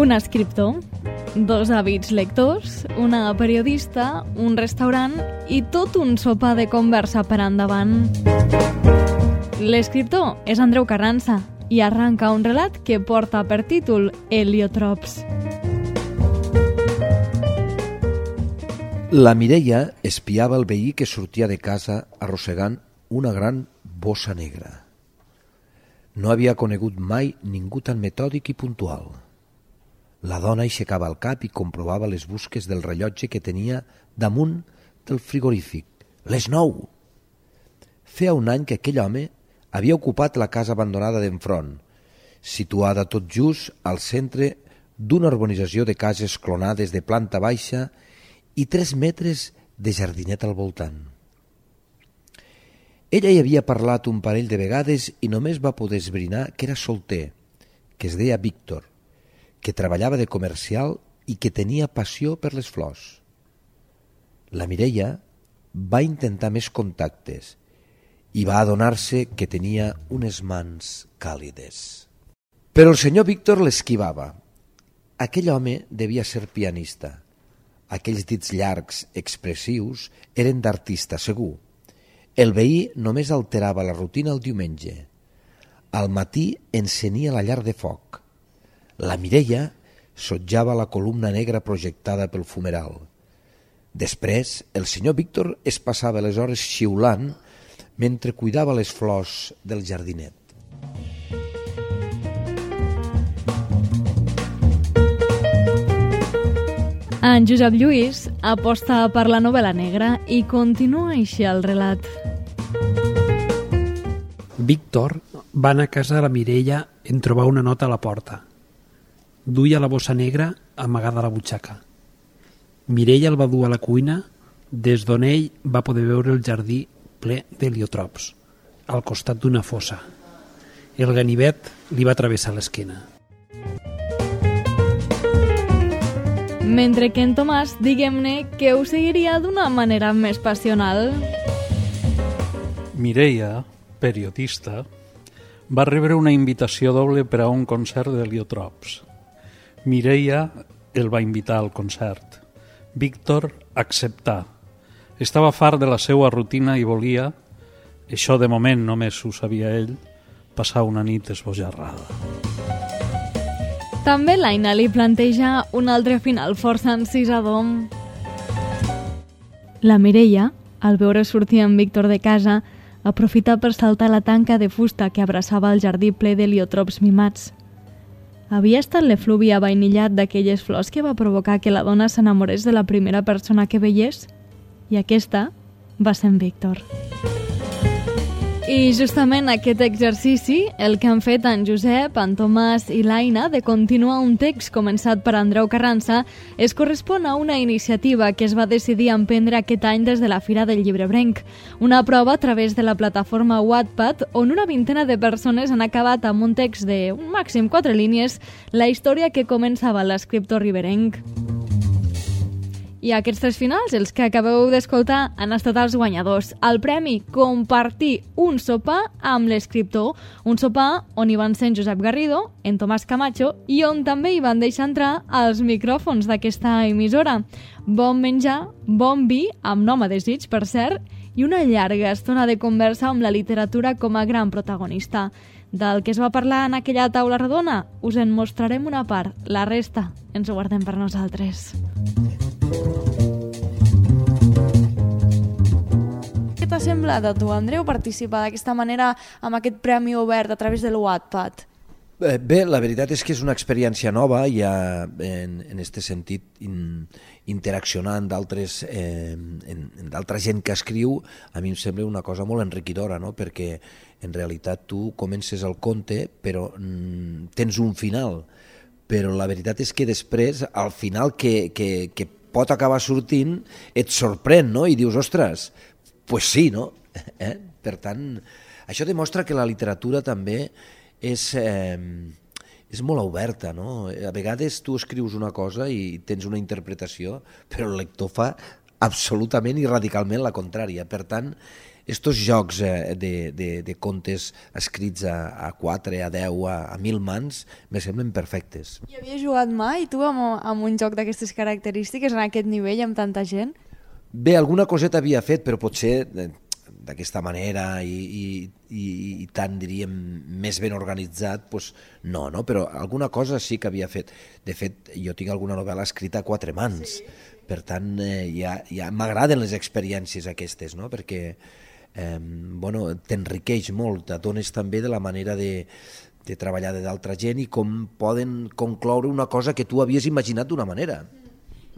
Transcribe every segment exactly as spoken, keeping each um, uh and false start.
Un escriptor, dos hàbits lectors, una periodista, un restaurant i tot un sopar de conversa per endavant. L'escriptor és Andreu Carranza i arranca un relat que porta per títol Heliotrops. La Mireia espiava el veí que sortia de casa arrossegant una gran bossa negra. No havia conegut mai ningú tan metòdic i puntual. La dona aixecava el cap i comprovava les busques del rellotge que tenia damunt del frigorífic. Les nou! Feia un any que aquell home havia ocupat la casa abandonada d'enfront, situada tot just al centre d'una urbanització de cases clonades de planta baixa i tres metres de jardinet al voltant. Ella hi havia parlat un parell de vegades i només va poder esbrinar que era solter, que es deia Víctor, que treballava de comercial i que tenia passió per les flors. La Mireia va intentar més contactes i va adonar-se que tenia unes mans càlides. Però el senyor Víctor l'esquivava. Aquell home devia ser pianista. Aquells dits llargs, expressius, eren d'artista, segur. El veí només alterava la rutina el diumenge. Al matí encenia la llar de foc. La Mireia sotjava la columna negra projectada pel fumeral. Després, el senyor Víctor es passava les hores xiulant mentre cuidava les flors del jardinet. En Josep Lluís aposta per la novel·la negra i continua així el relat. Víctor va anar a casa de la Mireia en trobar una nota a la porta. Duia la bossa negra amagada a la butxaca. Mireia el va dur a la cuina, des d'on ell va poder veure el jardí ple d'heliotrops, al costat d'una fossa. El ganivet li va travessar l'esquena. Mentre que en Tomàs, diguem-ne, que ho seguiria d'una manera més passional. Mireia, periodista, va rebre una invitació doble per a un concert d'heliotrops. Mireia el va invitar al concert. Víctor acceptà. Estava fart de la seva rutina i volia, això de moment només ho sabia ell, passar una nit esbojarrada. També l'Aina li planteja un altre final força encisador. La Mireia, al veure sortir en Víctor de casa, aprofità per saltar la tanca de fusta que abraçava el jardí ple d'heliotrops mimats. Havia estat l'efluvi avainillat d'aquelles flors que va provocar que la dona s'enamorés de la primera persona que veiés, i aquesta va ser en Víctor. I justament aquest exercici, el que han fet en Josep, en Tomàs i l'Aina de continuar un text començat per Andreu Carranza, es correspon a una iniciativa que es va decidir emprendre aquest any des de la Fira del Llibrebrenc, una prova a través de la plataforma Wattpad on una vintena de persones han acabat amb un text de un màxim quatre línies la història que començava l'escriptor riberenc. I aquests tres finals, els que acabeu d'escoltar, han estat els guanyadors. El premi, compartir un sopar amb l'escriptor. Un sopar on hi van ser en Josep Garrido, en Tomàs Camacho i on també hi van deixar entrar els micròfons d'aquesta emissora. Bon menjar, bon vi, amb nom a desig, per cert, i una llarga estona de conversa amb la literatura com a gran protagonista. Del que es va parlar en aquella taula redona, us en mostrarem una part. La resta ens ho guardem per nosaltres. Què t'ha semblat a tu, Andreu, participar d'aquesta manera amb aquest premi obert a través de l'Wattpad? Bé, la veritat és que és una experiència nova, ja en, en este sentit in, interaccionar amb d'altres eh, en, en d'altra gent que escriu, a mi em sembla una cosa molt enriquidora, no? Perquè en realitat tu comences el conte però mm, tens un final, però la veritat és que després, al final que, que, que pot acabar sortint, et sorprèn, no? I dius, ostres, pues sí, no? Eh? Per tant, això demostra que la literatura també és, eh, és molt oberta, no? A vegades tu escrius una cosa i tens una interpretació, però el lector fa absolutament i radicalment la contrària. Per tant, estos jocs eh, de, de, de contes escrits a, a quatre, a deu, a, a mil mans, me semblen perfectes. I havies jugat mai, tu, amb, amb un joc d'aquestes característiques, en aquest nivell, amb tanta gent? Bé, alguna coseta havia fet, però potser eh, d'aquesta manera i, i, i, i tan, diríem, més ben organitzat, doncs no, no? Però alguna cosa sí que havia fet. De fet, jo tinc alguna novel·la escrita a quatre mans, sí. Per tant, eh, ja, ja m'agraden les experiències aquestes, no? Perquè eh, bueno, t'enriqueix molt, t'adones també de la manera de, de treballar d'altra gent i com poden concloure una cosa que tu havies imaginat d'una manera.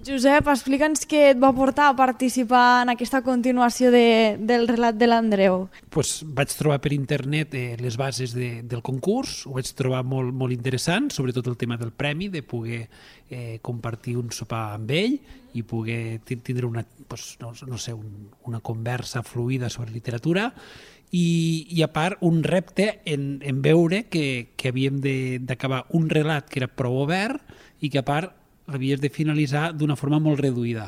Josep, explica'ns què et va portar a participar en aquesta continuació de, del relat de l'Andreu. Pues vaig trobar per internet eh, les bases de, del concurs, ho vaig trobar molt, molt interessant, sobretot el tema del premi, de poder eh, compartir un sopar amb ell i poder tindre una, pues, no, no sé, un, una conversa fluida sobre literatura i, i a part un repte en, en veure que, que havíem d'acabar un relat que era prou obert i que a part l'havies de finalitzar d'una forma molt reduïda.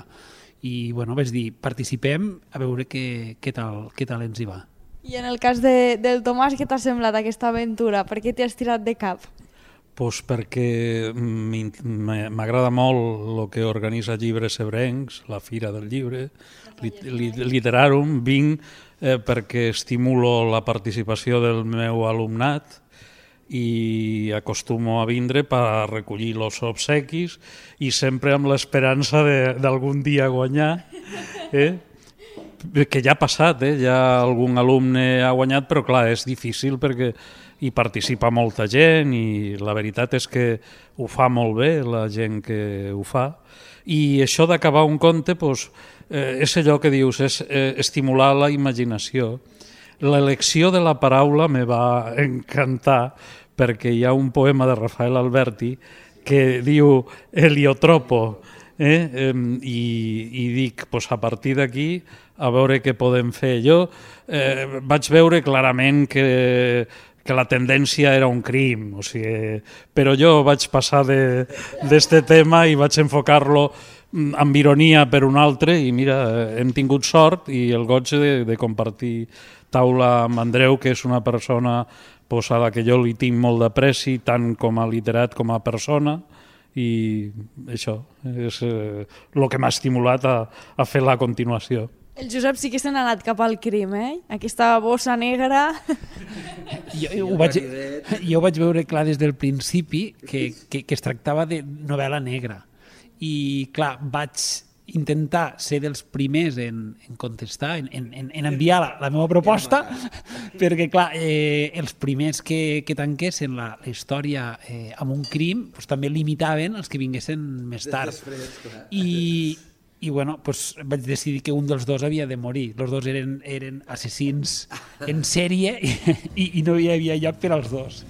I bueno, vaig dir, participem a veure què, què, tal, què tal ens hi va. I en el cas de, del Tomàs, què t'ha semblat aquesta aventura? Per què t'hi has tirat de cap? Pues perquè m'agrada molt el que organitza Llibres Ebrencs, la Fira del Llibre, Literarum. Vinc eh, perquè estimulo la participació del meu alumnat i acostumo a vindre per recollir els obsequis i sempre amb l'esperança d'algun dia guanyar, eh? Que ja ha passat, eh? Ja algun alumne ha guanyat, però clar, és difícil perquè hi participa molta gent i la veritat és que ho fa molt bé la gent que ho fa. I això d'acabar un conte doncs, eh, és allò que dius, és eh, estimular la imaginació. L'elecció de la paraula me va encantar perquè hi ha un poema de Rafael Alberti que diu heliotropo, eh? I, i dic, pues a partir d'aquí, a veure què podem fer. Jo eh, vaig veure clarament que, que la tendència era un crim, o sigui, però jo vaig passar d'este tema i vaig enfocar-lo amb ironia per un altre i mira, hem tingut sort i el goig de, de compartir taula amb Andreu, que és una persona pues, a la que jo li tinc molt d'apreci, tant com a literat com a persona, i això és eh, el que m'ha estimulat a, a fer la continuació. El Josep sí que se n'ha anat cap al crim, eh? Aquesta bossa negra... Jo, jo, ho vaig, jo ho vaig veure clar des del principi que, que, que es tractava de novel·la negra. I clar, vaig intentar ser dels primers en, en contestar, en, en, en enviar la, la meva proposta, perquè clar, eh, els primers que, que tanquessin la, la història eh, amb un crim doncs, també limitaven els que vinguessin més tard. I, i bueno, doncs, vaig decidir que un dels dos havia de morir. Els dos eren, eren assassins en sèrie i, i no hi havia lloc per als dos.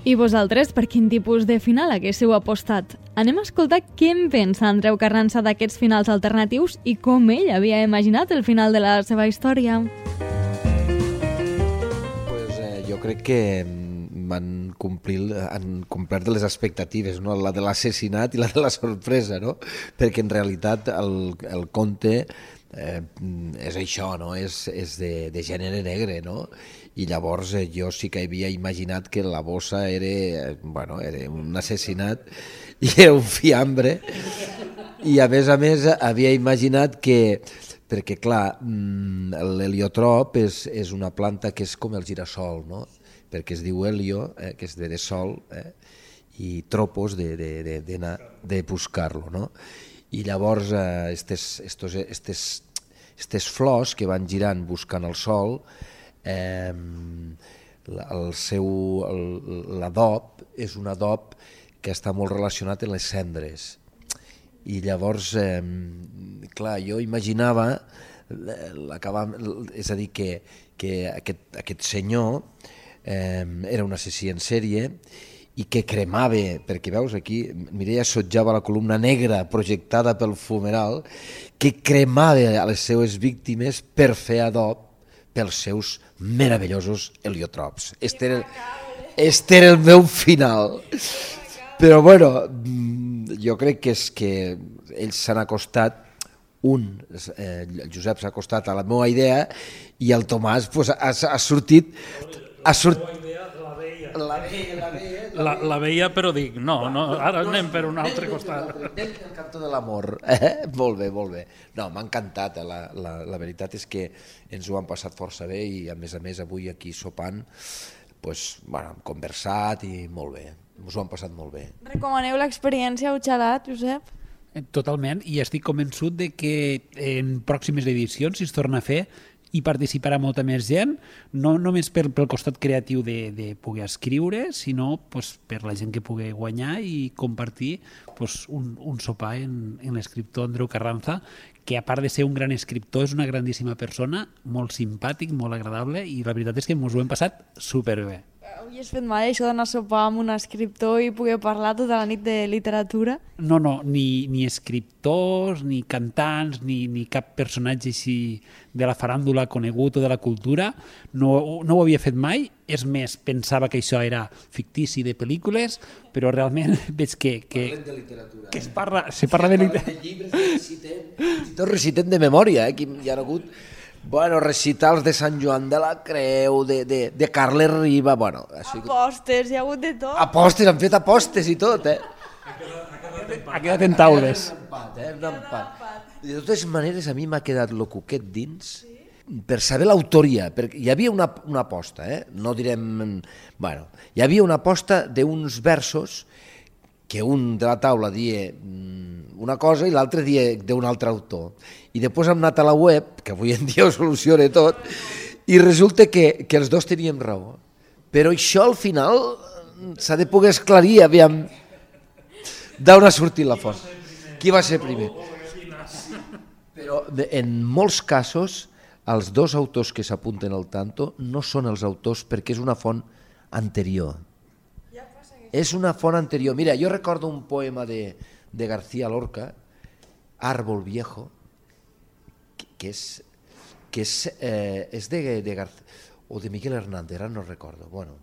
I vosaltres, per quin tipus de final haguéssiu apostat? Anem a escoltar què en pensa Andreu Carranza d'aquests finals alternatius i com ell havia imaginat el final de la seva història. Pues, eh, jo crec que van complir, han complert les expectatives, no? La de l'assassinat i la de la sorpresa, no? Perquè en realitat el, el conte eh, és això, no? És, és de, de gènere negre, no? I llavors eh, jo sí que havia imaginat que la bossa era, eh, bueno, era un assassinat i era un fiambre, i a més a més havia imaginat que, perquè clar, l'heliotrop és, és una planta que és com el girassol, no? Perquè es diu helio, eh, que és de, de sol, eh? I tropos de, de, de, de, de buscar-lo, no? I llavors eh, estes, estos, estes, estes flors que van girant buscant el sol, eh, el seu l'adob és un adob que està molt relacionat amb les cendres. I llavors, eh, clar, jo imaginava l'acabar, és a dir, que, que aquest, aquest senyor eh, era un assassí en sèrie i que cremava, perquè veus aquí, Mireia assetjava la columna negra projectada pel fumeral, que cremava a les seues víctimes per fer adob pels seus meravellosos heliotrops. Este era, este era el meu final. Però bueno, jo crec que és que ells s'han acostat un, eh, el Josep s'ha acostat a la meva idea i el Tomàs pues, ha, ha sortit... Ha sortit... La veia, la veia, la veia, la, la veia però dic, no, no, ara anem per un altre costat. Anem pel cantó de l'amor. Eh? Molt bé, molt bé. No, m'ha encantat, eh? la, la, la veritat és que ens ho han passat força bé i a més a més avui aquí sopant pues, bueno, hem conversat i molt bé, ens ho han passat molt bé. Recomaneu l'experiència Uxalat, Josep? Totalment, i estic convençut de que en pròximes edicions, si es torna a fer, hi participarà molta més gent, no només per, pel costat creatiu de, de poder escriure, sinó pues, per la gent que pugui guanyar i compartir pues, un, un sopar en, en l'escriptor Andreu Carranza, que a part de ser un gran escriptor és una grandíssima persona, molt simpàtic, molt agradable, i la veritat és que ens ho hem passat superbé. Avui has fet mai això d'anar a sopar amb un escriptor i poder parlar tota la nit de literatura? No, no, ni, ni escriptors, ni cantants, ni, ni cap personatge així de la faràndula conegut o de la cultura, no, no ho havia fet mai. És més, pensava que això era fictici de pel·lícules, però realment veig que... que Parlem de literatura. Que es parla, se parla de literatura. De llibres, recitem, tot recitem de memòria, eh? Hi ha hagut... Bueno, recitals de Sant Joan de la Creu, de, de, de Carles Riba, bueno... Ha sigut... Apostes, hi ha hagut de tot. Apostes, han fet apostes i tot, eh? Ha quedat en taules. Un empat, eh? Un empat. De totes maneres, a mi m'ha quedat lo cuquet dins per saber l'autoria, perquè hi havia una, una aposta, eh? No direm... Bueno, hi havia una aposta d'uns versos que un de la taula dia una cosa i l'altre dia d'un altre autor. I després hem anat a la web, que avui en dia ho soluciona tot, i resulta que, que els dos teníem raó. Però això al final s'ha de poder esclarir, aviam, d'on ha sortit la font. Qui va ser primer? Però en molts casos els dos autors que s'apunten al tanto no són els autors perquè és una font anterior. És una font anterior. Mira, jo recordo un poema de, de García Lorca, Árbol Viejo, que, que és, que és, eh, és de, de García, o de Miguel Hernández, ara no recordo. Bueno,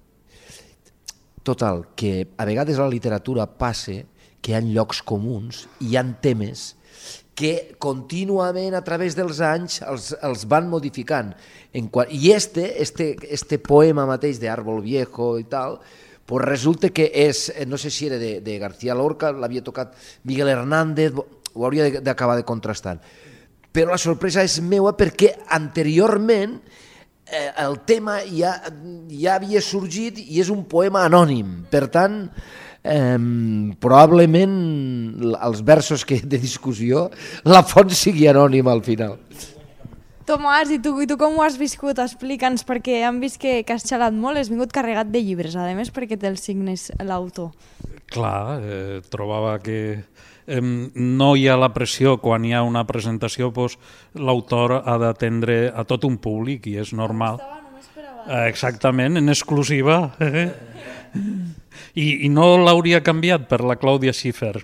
total, que a vegades a la literatura passa que hi ha llocs comuns i hi ha temes que contínuament a través dels anys els, els van modificant. En qual, I este, este, este poema mateix de Árbol Viejo i tal, pues resulta que és, no sé si era de, de García Lorca, l'havia tocat Miguel Hernández, ho hauria d'acabar de contrastar. Però la sorpresa és meua perquè anteriorment eh, el tema ja, ja havia sorgit i és un poema anònim. Per tant, eh, probablement els versos que de discussió, la font sigui anònima al final. Tomàs, i tu, i tu com ho has viscut? Explica'ns, perquè hem vist que, que has xalat molt, has vingut carregat de llibres, a més perquè té els signes l'autor. Clar, eh, trobava que eh, no hi ha la pressió quan hi ha una presentació, doncs, l'autor ha d'atendre a tot un públic i és normal. Eh, exactament, en exclusiva. Eh? I, I no l'hauria canviat per la Clàudia Schiffer.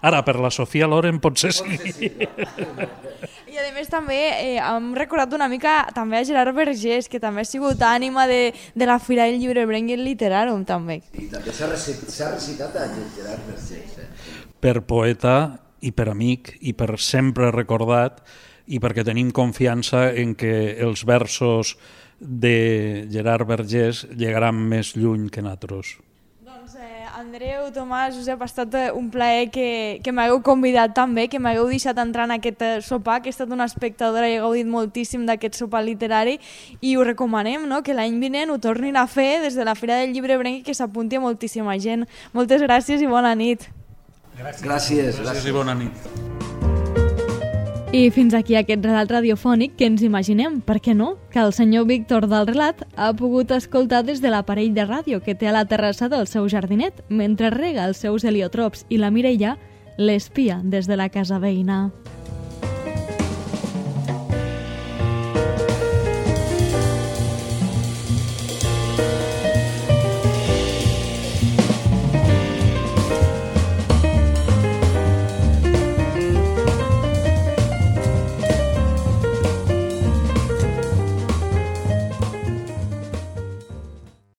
Ara, per la Sofia Loren potser sí. I a més també eh, hem recordat una mica també a Gerard Vergés, que també ha sigut ànima de, de la Fira del Llibrebreng i el Literàrum també. I també s'ha recitat, recitat a Gerard Vergés. Eh? Per poeta i per amic i per sempre recordat i perquè tenim confiança en que els versos de Gerard Vergés llegaran més lluny que nosaltres. Doncs eh, Andreu, Tomàs, Josep, ha estat un plaer que, que m'hagueu convidat també, que m'hagueu deixat entrar en aquest sopar, que he estat una espectadora i he gaudit moltíssim d'aquest sopar literari i ho recomanem, no? Que l'any vinent ho tornin a fer des de la Fira del Llibrebreng i que s'apunti moltíssima gent. Moltes gràcies i bona nit. Gràcies. Gràcies, gràcies i bona nit. I fins aquí aquest relat radiofònic que ens imaginem, per què no, que el senyor Víctor del Relat ha pogut escoltar des de l'aparell de ràdio que té a la terrassa del seu jardinet, mentre rega els seus heliotrops i la Mireia l'espia des de la casa veïna.